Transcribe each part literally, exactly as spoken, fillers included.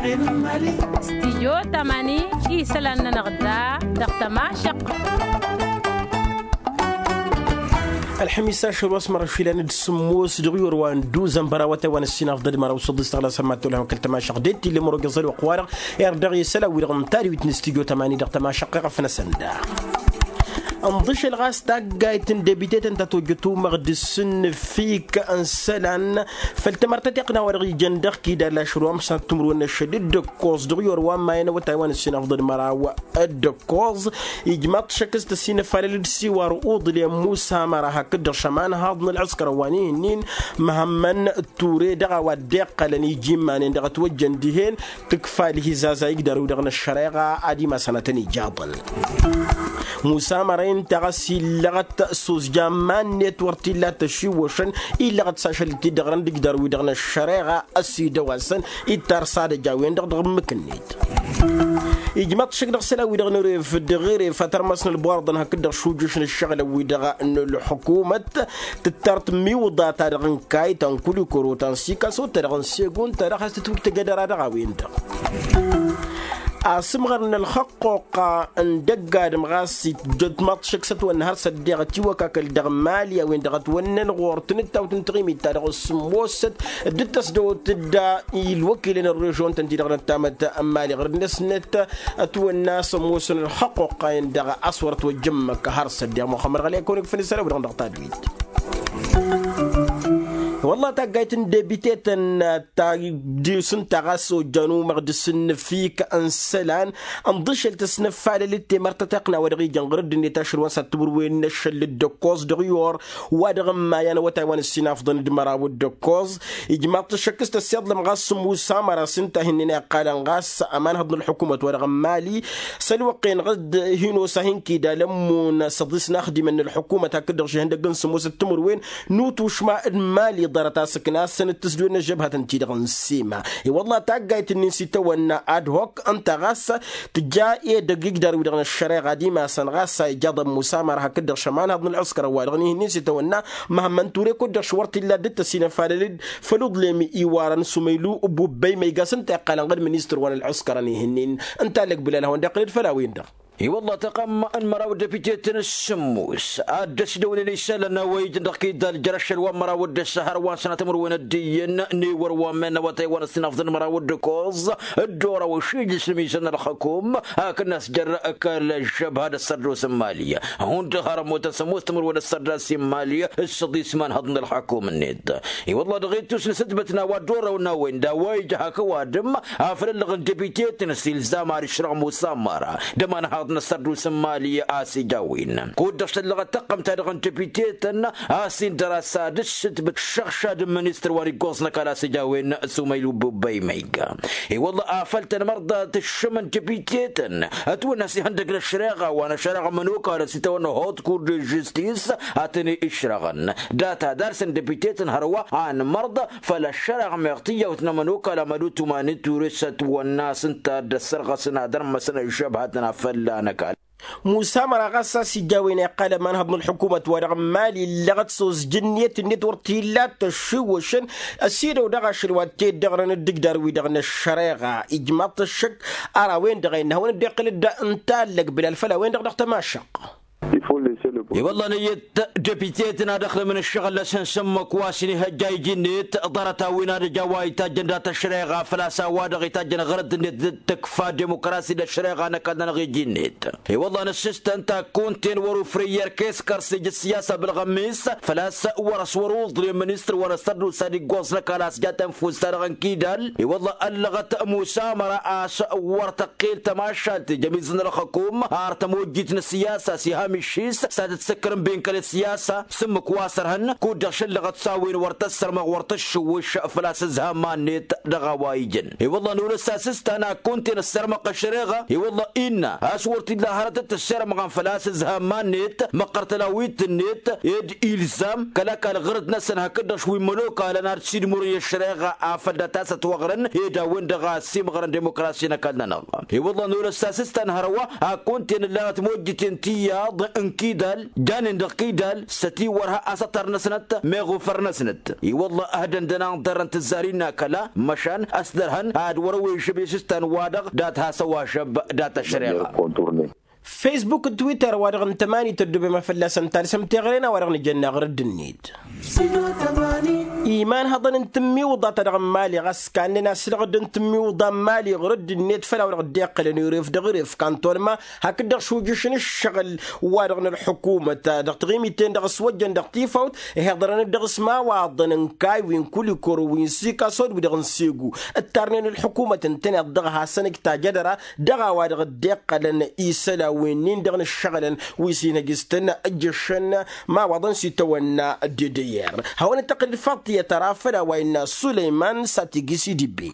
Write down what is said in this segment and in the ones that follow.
Stijyo tamani isălan-nănăɣ da dăɣ-tămašăq. Ălxămis ašăl wa s-mărăš ilan d-sǝmmos dăɣ-iwăr wa n-duzăn bărawătay wa n-ăssinafḍăd măraw s-ăḍḍis tăɣlasăn ma t-tolhăm kăl-tămašăq d-e t-illa imăro găẓăl wa qwarăɣ. Irdeɣ isălan wi-dăɣ n-tadwit n-stijyo tamani dăɣ-tămašăq iɣăf-năsăn da. Ǝnḍǝšăl ɣas taggayt n-debitetăn ta tojjăt umăɣ d-sǝnnǝfik n-isălan făll-tamărtăteɣt n-a-wa dăɣ-ijăn dăɣ-kidal ašăl wa măsnat timǝrwen n-ašăl d-ǝkkoẓ dăɣ-iwăr wa n-mayăn awătay wa n-ǝssinafḍăd măraw d-ǝkkoẓ. Ijmaḍ-t šăkk s-tăsinăfalăl d-siwar uḍlem musa măra hakd-dăɣ šămanhaḍ n-ălɣǝskăr ăwwan ihǝnnin măhămmăn ture dăɣ-a-wa dd-iqqălăn iji iman-en dăɣ-ătwăjjăn dihen. Tǝkfa ǝlhizazay igdar-wi-dăɣ n-ăššăreɣa ad-imasăn ad-tăn-ijaḍăn. Musa măra-in-ta ɣas illăɣăt s-ozja iman-net wăr t-illa ad-t-ăšiwwăšăn illăɣăt s-ašăl-t-dd-ăɣrăn d-igdar-wi-dăɣ n-ăššăreɣa ăsidăw-asăn. Ittar s-ad-ăj a-wen-dăɣ dăɣ-ǝmmǝk-net. Ijmăḍ-t šăkk dăɣ-isălan-wi-dăɣ n-eref d-ɣeref ad-tărmăsnăl buwarḍăn hakd-dăɣ šujjǝš n-ǝššăɣǝlăn-wi-dăɣ n-ălḥukumăt. Tǝttar tǝmmiwǝḍa-ta-dăɣ n-kayt ta n-kulikoro ta n-sikas wăr-ta-dăɣ n-segun ta dăɣ-has tǝtwǝjtăj ad-ăra dăɣ-a-wen-dăɣ. Asǝmɣăr n-ălxăqqoqqa n-dăgg-adǝm ɣas itjăt maḍt šăkk s-ătwănna har s-ăddeɣ ătiwăkakăl dăɣ-mali a-wen-dăɣ ătwănnăn ɣur-tǝnǝttawt n-taɣimit-ta-dăɣ s-sǝmmosăt dd-tăsdăwăt d-ilwăkilen n-režion-tăn-ti-dăɣ n-ăttamăt n-mali ɣur-năsnăt. Ătwănna a-s ămoosăn ălxăqqoqqa-en-dăɣ a-s wăr ătwăjjăn măkk har s-ăddeɣ muxămmăd ɣălăy kăwăn-ikfăn isălan-wi-dăɣ dăɣ-tadwit. Wălla taggayt n-debitetăn ta d-isǝnta ɣas ojjan umăɣ d-isǝnnǝfik n-isălan ǝnḍǝšăl tăsnăffalăl d-temărtăteɣt n-a-wa dăɣ-ijăn ɣur-ăddinăt ašăl wa n-săr timǝrwen n-ašăl d-ăkkoẓ dăɣ-iyor wa dăɣ-ǝmmayăn awătay wa n-ǝssinafḍăn d-măraw d-ăkkoẓ. Ijmaḍ-t ăššăk s-tăssiḍlăm ɣas s-musa măra s-ǝnta hin-nen iqqalăn ɣas ămanhăḍ n-ălḥukumăt wa dăɣ-n mali s-ălwăqq-en ɣas d-hin-osa hin-kidal ămmun s-ăḍis n-axdimăn n-ălḥukumăt hakd-dăɣ šihăndăgg n-sǝmmosăt timǝrwen n-utušma d-mali ḍarăt-as ǝknasăn d-tǝsdǝwen n-ăžžăbhătăn-ti-dăɣ n-sima. I-wălla taggayt-nin s-itawănna ad-hok ǝnta ɣas tǝja edăgg igdar-wi-dăɣ n-ăššăreɣa d-imasăn ɣas a ijaḍăn musa măra hakd-dăɣ šămanhăḍ n-ălɣǝskăr ăwadăɣ n-ihǝnnin s-itawănna măhămmăn ture kud-dăɣ š-wăr t-illa dd-tăsinăfalăl-dd făll-uḍlem iwarăn s-umăylu. Bubăy ma iga s-ǝnta iqqalăn ɣǝd ministăr wa n-ălɣǝskăr ănihǝnnin ǝnta ăllăg bǝlal a hawăn-dd-iqqǝlăd făll-a-wen-dăɣ. I-wălla taqăm n-măraw d-depite-tăn s-sǝmmos ad-dd-ăsidăwnen isălan a-wa ijăn dăɣ-kidal jer-ašăl wa n-măraw d-ăššăhăr wa n-sănatăm d-wăn ăddiyăn n-ewăr wa n-men n-awătay wa n-ăssinafḍăn măraw d-ǝkkoẓ. Dd-oraw ašijǝs n-imizăn n-ălxukum hakd n-a-s jer-kăl-ăžžăbha d-ăssărdos n-mali hundăɣ har ămmutăn s-ămoos timǝrwen ăssărdas n-mali s-săḍis imanhăḍ n-ălxukum-net. I-wălla dăɣ-ittus n-asǝtbăt n-a-wa dd-oraw n-a-wen d-a-wa ija hak ăwadǝm afăl ăllăɣ n-depitetăn s-ilzam ar išrăɣ musa măra d-ămanhaḍ n-ăssărdos n-mali a-s ija a-wen kud-dăɣ šăllăɣăt tăqqăm-ta-dăɣ n-depitetăn a-s indăr-as ad-ǝssǝtbǝt šăɣšad n-ministăr wa n-iggoẓ n-ăkall a-s ija a-wen s-umăylu bubăy ma iga. I-wălla afăl tănmărḍa tǝššǝm n-depitetăn ătwănna a-s ihăndăg n-ăššăreɣa wa n-ăššăreɣa mănokal a-s itawănna hot kur de žistis a tăn-išrăɣăn data ad-arsăn depitetăn hărwa anmărḍa făll-ăššăreɣa meɣ tiyyawt n-amănokal amădutum a n-iture s-ătwănna a-s ǝnta a dd-ăssărɣăsăn ad-ărmăsăn ăžžăbhătăn a fălla n-ăkall. Musa măra ɣas a-s ija a-wen iqqal ămanhăḍ n-ălḥukumăt wa dăɣ-n mali illăɣăt s-ozjǝnniyăt-net wăr t-illa ad-t-ăššiwwăšăn ăsidăw dăɣ-ašăl wa t-dd-ăɣrăn d-igdar-wi-dăɣ n-ăššăreɣa. Ijmaḍ-t ăššăk ar a-wen-dăɣ a innă hawăn-dd-iqqǝl-dd ǝnta ăllăg bǝlal făll-a-wen-dăɣ dăɣ-tămašăq. I-wălla năyyăt depitetăn ad-ăxdămăn ǝššăɣǝl-năsăn s-ǝmmǝk wa s-inihăjja iji-net ḍarăt-a-wen ad-ăj a-wa itajjăn dat-ăššăreɣa făl-a-s a-wa-dăɣ itajjăn ɣărădd-net d-tǝkfa dimokrasi d-ăššăreɣa n-ăkall-nănăɣ iji-net. I-wălla nǝssǝstăn takkunt-en wăr-ufrǝy i-erk eskăr s-ija ăssiyasa bălɣămis făl-a-s wăr-ăswăr uḍlem ministăr wa n-ăssărdusa d-iggoẓ n-ăkall a-s ja tănfust-ta-dăɣ n-kidal. I-wălla ăllăɣăt musa măra a-s wăr tăqqel tămašalt ija ămizăn ălxăkum ar tămojjit n-ăssiyasa s-iham iššis s-ad-dd-sǝkkărăn ben kăl-ăssiyasa s-ǝmmǝk wa s-ărhăn kud-dăɣ šăllăɣăt s-a-wen wăr tăssărmăɣ wăr tăššǝwwǝš făl-a-s ǝzham ma-net. Dăɣ-a-wa ijăn i-wălla nolăs asǝstan akkunt-en ăssărmăɣ ăššăreɣa i-wălla innă a-s wăr t-illa hărăt d-tăssărmăɣăn făl-a-s ǝzham ma-net măqqăr tălawit-net ed ilzam kăl-ăkall ɣărăt-năsăn hakd-dăɣ wi n-imănokalăn ad-sidmurăn i-ăššăreɣa afăl dat-a-s ătwăɣrăn ed a-wen-dăɣ a ăsimɣărăn dimokrasi n-ăkall-nănăɣ. I-wălla nolăs asǝstan hărwa akkunt-en ǝllanăt mojjiten tiyyăḍ n-kidal. Janen dăɣ-kidal s-ătiwărha asătăr-năsnăt meɣ ufăr-năsnăt. I-wălla ăhdăndăn anḍărrăn tǝzzar-in n-akăla măšan ăsdărhăn ad-wăr-ăwešăb i-sǝstan wa-dăɣ dat-has-ăwašăb dat-ăššăreɣa. Facebook d-twitter wa-dăɣ n-tămani tăddubem a fălla-săn talsăm teɣăre n-a-wa-dăɣ nǝjănna ɣur-dd-net. Iman hăḍăn n-tǝmmiwǝḍa ta dăɣ-n mali ɣas kannen aslăɣ-dd n-tǝmmiwǝḍa n-mali ɣur-dd-net făll-a-wa-dăɣ dd-iqqălăn iref dăɣ-iref kantolma hakd-dăɣ šujǝš n-ǝššăɣǝl wa-dăɣ n-ălḥukumăt dăɣ-tiɣimiten dăɣ-s wăjjăn dăɣ-tifawt. Ihiḍărăn-dd dăɣ-s imawaḍăn n-kaywi n-kulikoro wi n-sikaso d-wi-dăɣ n-segu ǝttarnen ălḥukumăt ǝntăneḍ-dăɣ hasăn-ǝj tajădăra dăɣ-a-wa-dăɣ dd-iqqălăn isălan wi-nin-dăɣ n-ǝššăɣǝlăn wi s-inhăj s-tăn-ǝjjăšăn imawaḍăn s-itawănna d-edăyyer. Hawăn-dd-tăqqǝl d-faḍt tiyyăt ara făll-a-wa innă sulăyman s-ad-t-igǝs idibbe.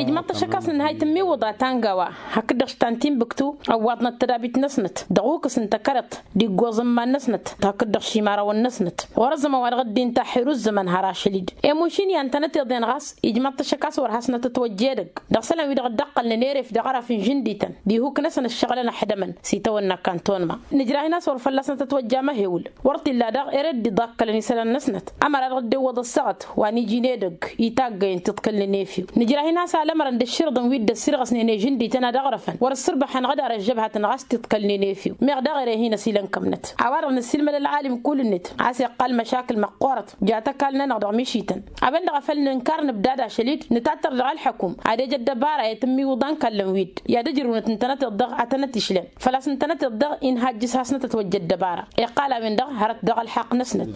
Ijmăḍ-t ăššăk a-s nǝnhay tǝmmiwǝḍa ta n-gawa hakd-dăɣ s-ta n-tinbǝktu ăwwaḍnăt tădabit-năsnăt dăɣ-ukǝs n-tăkărăḍt d-iggoẓ n-iman-năsnăt hakd-dăɣ šimarawăn-năsnăt. Wăr-ăzzămăn wa dăɣ-dd-inta ăḥiruzămăn har ašăl-dd i-mušin i-antănăt iḍen ɣas ijmăḍ-t ăššăk a-s wăr hasnăt ătwăjja edăgg dăɣ-isălan wi dăɣ-dd-ăqqălnen eref dăɣ-araf n-žǝndităn d-ihuk-năsăn ăššăɣǝlăn ăḥdămăn s-itawănna kantonma. Nǝjrah-in a-s wăr fălla-snăt ătwăjja amăhewǝl wăr t-illa daɣ ere dd-iḍakkălăn isălan-năsnăt ămăra dăɣ-dd-iwwăḍ ăssaɣăt wa n-iji n-edăgg i-taggăyăn tiḍkălnen efew. Nǝjrah-in a-s alămărăn d-ǝšširǝḍăn wi dd-ăssirɣăsnen i-žǝndităn ad-ăɣrăfăn wăr-ăssǝrbăḥăn ɣǝd ar ăžžăbhatăn ɣas tiḍkălnen efew meɣ daɣ ere hin-ăsilăn kămnăt. A-wa-dăɣ nǝssilmăd ălɣalim kull-net a-s iqqal măšakǝl măqqoorăt ja tăkall-nănăɣ dăɣ-mišităn. A-wen-dăɣ a făl nǝnkar nǝbdad ašăl-dd nǝtattăr dăɣ-ălḥăkum ad-ej ăddăbara i-tǝmmiwǝḍa n-kallăn-wi-dd i-ad-ǝjrǝwnăt ǝntănăteḍ-dăɣ ad-tănăt-išlăn. Făl-a-s ǝntănăteḍ-dăɣ-in hajjǝs hasnăt ătwăjja ăddăbara iqqal a-wen-dăɣ hărăt dăɣ-ălḥaqq-năsnăt.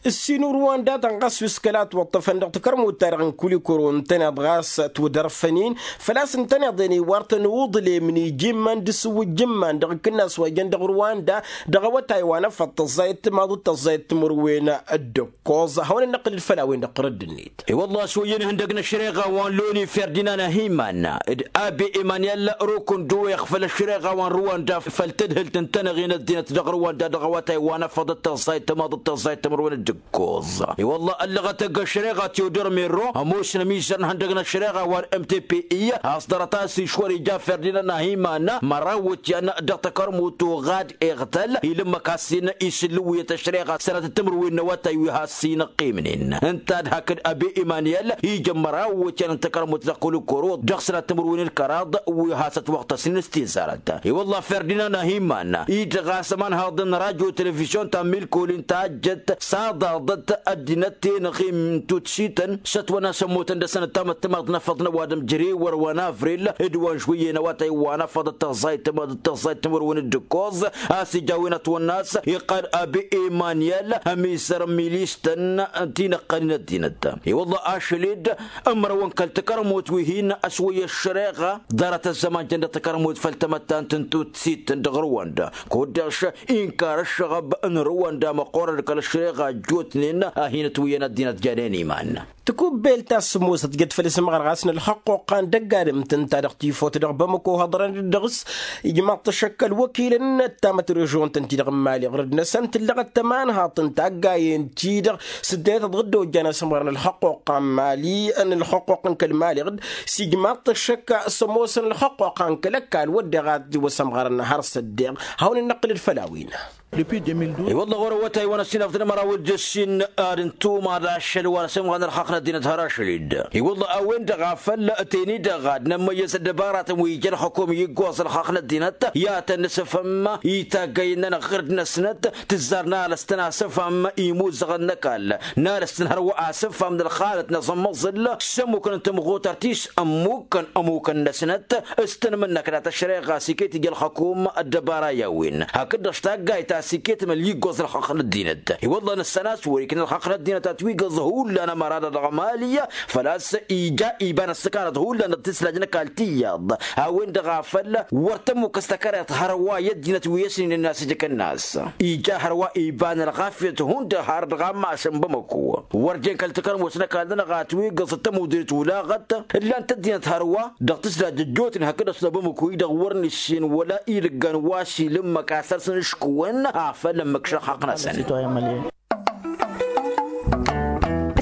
Ǝssin urwanda ta n-ɣas wi s-kăla ătwăṭṭăfăn dăɣ-takărmut-ta-dăɣ n-kulikoro ǝntăneḍ ɣas ătwǝdărfăn-in făl-a-s ǝntăneḍ-en iwar-tăn uḍlem n-iji n-iman d-asǝwwǝjj n-iman dăɣ-akǝnnas wa jăn dăɣ-urwanda dăɣ-awătay wa n-afăḍ tăẓẓayăt timaḍ d-tăẓẓayăt timǝrwen d-ǝkkoẓ. Hawăn-ănnăqqǝl-dd făll-a-wen-dăɣ ɣur-ăddinnet. I-wălla a-s wăyy-en ihăndăg n-ăššăreɣa wa n-loni ferdinand ahiman d-abe emanyel rokondo iɣfăl ăššăreɣa wa n-ruwanda făll-tadhǝlt n-tanăɣen ăddinăt dăɣ-ruwanda dăɣ-awătay wa n-afăḍ d-tăẓẓayăt timaḍ d-tăẓẓayăt timǝrwen d-ǝkkoẓ. I-wălla ăllăɣăt ăgg ăššăreɣa teodor merro ămoosăn ămizăr n-ihăndăg n-ăššăreɣa wa n-mtpi a-s ḍarăt a-s išwăr ija ferdinand ahiman măraw iwǝtyan dăɣ-takărmut uɣad iɣtăl ilǝmmăk a-s-in isǝllǝwǝyăt ăššăreɣa sănatăt timǝrwen n-awătay wi has-inăqqimnen ǝnta d-hakd abe emanyel ijăn măraw iwǝtyan n-takărmut dăɣ-kulikoro dăɣ-sănat timǝrwen d-kăraḍ wi has-ătwăɣtăsnen s-tizarăt. I-wălla ferdinand ahiman-i-dăɣ a-s ămanhaḍăn n-radyo televizyon ta n-milkolin tajjăt s-aḍaḍăt ăddinăt-en ăɣim n-tutsităn s-ătwănna s-ămmutăn dăɣ-săn ăttamăt timaḍt n-afăḍ n-ăwadǝm jere wăr-wănavri-l d-wa n-žwǝyyen awătay wa n-afăḍ d-tăẓẓayt timaḍ d-tăẓẓayt timǝrwen d-ǝkkoẓ. A-s ija a-wen ătwănna a-s iqqăl abi emanyel ămizăr n-milistăn ti n-ăqqălin ăddinăt. I-wălla ašăl-dd ǝmrăwăn kăl-takărmut wi hin-ăswăyy ăššăreɣa ḍarăt ăzzăman jăn dăɣ-takărmut făll-tamăttant n-tutsittăn dăɣ-ruwanda. Kud-dăɣ inkar ăššăɣăb n-ruwanda măqqoorăn kăl-ăššăreɣa ăjjootnen a hin-ătwǝyyăn ăddinăt janen iman. Tikubbelt ta s-ămoosăt jăt făll-isǝmɣăr ɣas n-ălxăqqoqqa n-dăgg-adǝm tǝnta dăɣ-tifot dăɣ-bamăko hăḍrăn-dd dăɣ-s ijmaḍ-t ăššăk ălwăkilăn n-ăttamăt režion-tăn-ti-dăɣ n-mali ɣur-dd-năsăn tǝllăɣăt tămanhaḍt n-taggayen-ti-dăɣ s-ǝddinăt ăḍɣǝddo ǝjjan asǝmɣăr n-ălxăqqoqqa n-mali n-ălxăqqoq n-kăl-mali ɣur-dd s-ijmaḍ-t ăššăk s-ămoosăn ălxăqqoqqa n-kăl-ăkall wădden ad-t-iwăsămɣărăn har s-ăddeɣ. Hawăn-ănnăqqǝl-dd făll-a-wen. I-wălla ɣur-awătay wa n-ăssinafăt n-măraw d-ǝssin ad-ǝntumăḍ ašăl wa n-asǝmɣan ălxaqq n-ăddinăt har ašăl-dd. I-wălla a-wen-dăɣ a făl teni-dăɣ ad-nămmăyyăz ăddăbaratăn wi ija ălxukum i-iggoẓ ălxaqq n-ăddinăt i-ad-tăn-nǝsǝfăm i-taggayen-nănăɣ ɣǝrd-năsnăt tǝzzar n-alăstăn asǝfăm imuzăɣăn n-ăkall n-alăstăn hărwa asǝfăm n-ălxalăt n-aẓǝmmăẓǝl s-ămmukăn n-tămɣutărt-is ămmukăn ămmukăn-năsnăt s-tăn-mǝnnăk dat-ăššăreɣa s-iket ija ălxukum ăddăbara i-a-wen hakd-dăɣ s-taggayt a-s iket măl iggoẓ ălxaqq n-ăddinăt. I-wălla nǝssan a-s wăr-ikna ălxaqq n-ăddinăt ad-t-wigăẓ hullan ămăra-dăɣ dăɣ-mali făl-a-s ija iba n-ăssăkanăt hullan dăɣ-tislaj n-ăkall tiyyăḍ. A-wen-dăɣ a făl wăr tămmukăs takăreḍt hărwa i-ăddinăt wi ăsninen a-s ija kănnas ija hărwa iba n-ălɣafyăt hundăɣ har dăɣ-ammas n-bamăko. Wăr jen kăl-takărmut n-ăkall-nănăɣ a t-wigăẓ d-tămudrit ulaɣăt ǝllan-t ăddinăt hărwa dăɣ-tǝslaj ăjjootnen hakd ăsnăbăm ǝkuyy-dăɣ wăr nǝssin wăla ilǝggan wa s-ilǝmmăk asăr-săn ǝškǝwăn a făl ǝmmǝk šăxxăq-năsăn.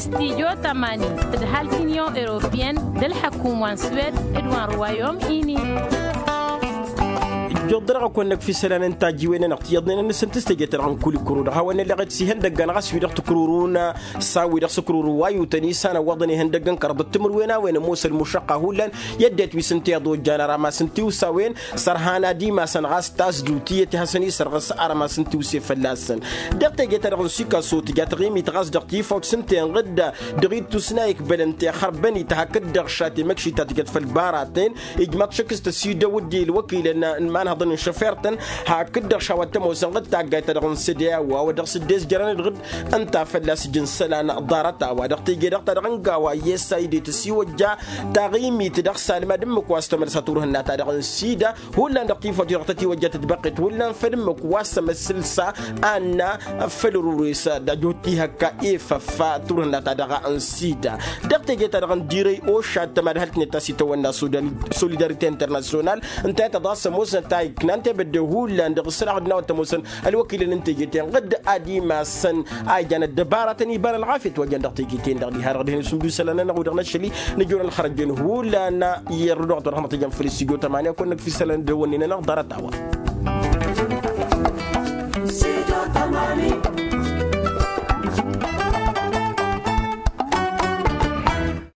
Studyo tămani d-halk unyon europeyăn d-ălḥăkum wa n-swed d-wa n-ruwayom ini. Dăɣ-dăɣ ăkăwăn-năkf isălan n-tajjiwen-nănăɣ tiyyăḍnen-nănăsăn tǝstegăt-ta-dăɣ n-kulikuru dăɣ-hawăn-nălleɣ-t s-ihăndăggăn ɣas wi-dăɣ tǝkrurun s-a-wi-dăɣ s-ǝkruru wa yutăn isana ǝwwăḍăn ihăndăggăn kăraḍăt timǝrwen a-wen ămoos ălmušăqqa hullan i-ăddinăt wi s-ǝnta iḍojjan arămas n-tiwsawen. Sărhan ad-imasăn ɣas tasdut iyyăt i-hasăn-isărɣǝs arămas n-tiwse fălla-săn. Dăɣ-teje-ta-dăɣ n-sikaso tǝja taɣimit ɣas dăɣ-tifawt s-ǝnta inɣǝdda dăɣ-ittus n-a ikbălăn tixărbănit hakd-dăɣ šat i-măkši ta tǝjăt făll-baraten. Ijmaḍ šăkk s-tăsidăw d-dd-i ǝlwăkilăn n-imanhăḍăn n-šăfer-tăn hakd-dăɣ šawăt tămoos ănɣăd taggayt-ta-dăɣ n-sădeya wa wa dăɣ-s dd-ezjărăn d-ɣǝd ǝnta fălla-s ǝjǝn isălan ḍarăt-a-wa dăɣ-teje-dăɣ-ta-dăɣ n-gawa i-essa i-dd-e tăsiwăjja taɣimit dăɣ-salmad ǝmmǝk wa s-tămălsa turhǝnna-ta-dăɣ n-sida. Hullan dăɣ-tifawt-i-dăɣ tătiwăjja tătbăqqet hullan făll-ǝmmǝk wa s-ămăssǝlsa anna făll-ărures d-ajut ihăkka efăf turhǝnna-ta-dăɣ n-sida. Dăɣ-teje-ta-dăɣ n-dirăy ošat tămadhălt-net ta s-itawănna solidarite internasyonal ǝnta i-tăḍa s-ămoosnăt a iknan tebădde hullan dăɣ-isălaɣ d-nawăt ămoosăn ălwăkilăn n-teje-ten ɣǝdd ad-imasăn a ijan ăddăbaratăn iba n-ălɣafyăt wa jan dăɣ-teje-ten-dăɣ diha-dăɣ dihen isǝmdusălăn-nănăɣ wi-dăɣ n-ašăl-i nǝjur ălxărăjăn hullan. I-ărrădoɣăt wa dăɣ-hămăt ijăn făll-s ijo tămani a kăwăn-năkf isălan d-hawăn-nen-nănăɣ ḍarăt-a-wa.